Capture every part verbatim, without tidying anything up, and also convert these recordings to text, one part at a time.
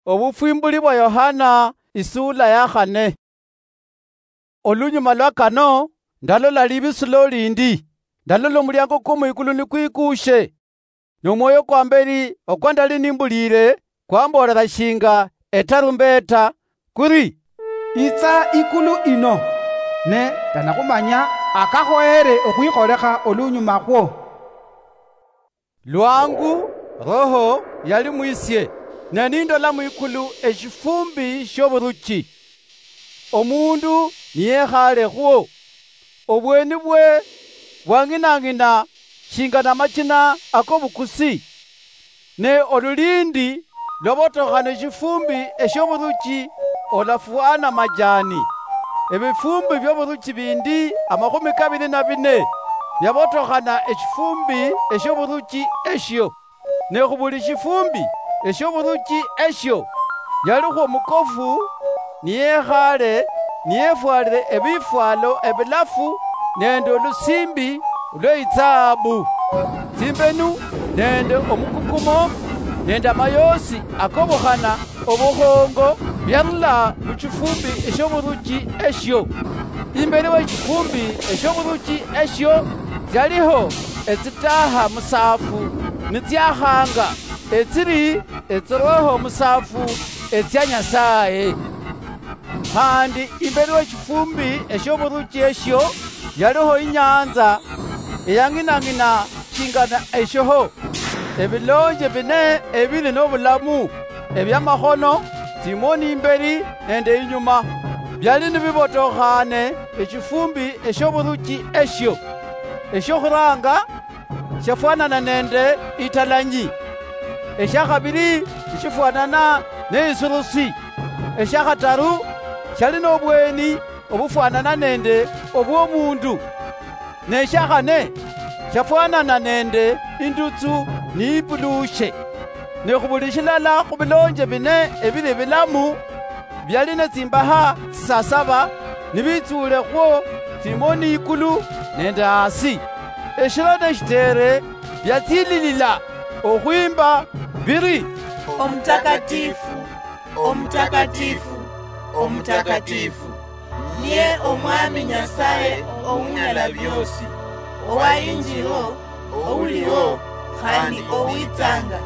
Obufwimbuli bwa Yohana, isuula ya khane. Olunyuma lwa kano, ndalola libisulo lindi. Ndalola omuliango kwo mwikulu nikwikuushe. Nomwoyo kwa mberi okwa ndali nimbuliire kwamboolera shinga etarumbeta, kuri, "Itsa ikulu ino." Ne ndanakhumanya akakhoyere okhwikholekha olunyuma khwo. Lwangu Roho yali mwisie, ne nindola mwikulu eshifumbi shioburuchi, omundu niyekhaale khwo. Obweni bwe bwang'inang'ina shinga namachina akobukusi, ne olulindi lwabotokhana eshifumbi eshioburuchi olafwana majani. Ebifumbi bioburuchi bindi amakhumi kabiri na bine byabotokhana eshifumbi eshioburuchi eshio. Ne khubuli shifumbi eshioburuchi eshio, yalikhwo omukofu niyekhaale, niyefwalire ebifwalo ebilafu nende olusimbi lweitsahabu. Tsimbenu nende omukukumo nende amayoosi akobukhana obukhongo byarula muchifumbi eshioburuchi eshio. Imberi wechifumbi eshioburuchi eshio tsialiho etsitaha musaafu nitsiakhanga, etsiri etsiroho musaafu etsia Nyasaye. Khandi imberi wechifumbi eshioburuchi eshio yaliho inyanza eyang'inang'ina shingana eshoho. Ebilonje bine ebili nobulamu, ebiamakhono, tsimoni imberi nende inyuma, biali nibibotokhane eshifumbi eshioburuchi eshio. Eshokhuranga shafwanana nende italanyi, eshiakhabili nishifwanana neisurusi, eshiakhataru shali nobweni obufwanana nende obwomundu, neshiakhane shafwanana nende indutsu niipulushe. Ne khubuli shilala khubilonje bine ebili bilamu, biali netsimbaha tsisasaba, nibitsuule khwo tsimoni ikulu nende hasi. Eshilo neshitere biatsililila okhwimba biri, "Omutakatifu, omutakatifu, omutakatifu, niye Omwami Nyasaye Ounyala Biosi, owa injiro, ouliho, khandi owitsanga."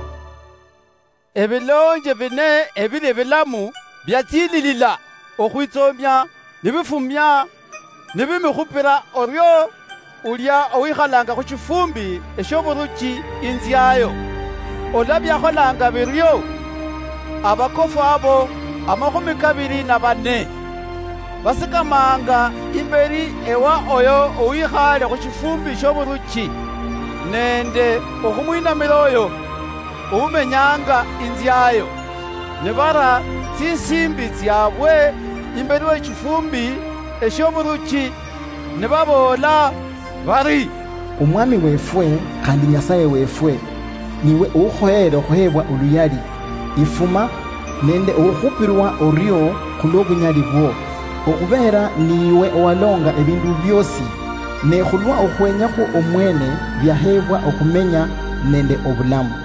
Ebilonje bine ebili ebilamu biatsililila okhwitsoomia, nibifumia, nibimikhupira orio ulia owikhalanga khu shifumbi eshioburuchi inziayo. Olwa biakholanga birio, abakofu abo amakhumi kabiri na bane basikamanga imberi ewa oyo owikhaale khu shifumbi shioburuchi nende okhumwinamira oyo oumenyanga inziayo, nibara tsisimbi tsiabwe imberi wechifumbi eshioburuchi, nibaboola bari, "Omwami wefwe khandi Nyasaye wefwe, niwe oukhoyere okhuhebwa oluyali, ifuma, nende okhukhupirwa orio khulwobunyali bwo, okhubeera niiwe owalonga ebindu biosi, ne khulwa okhwenya khwo omwene biahebwa okhumenya nende obulamu."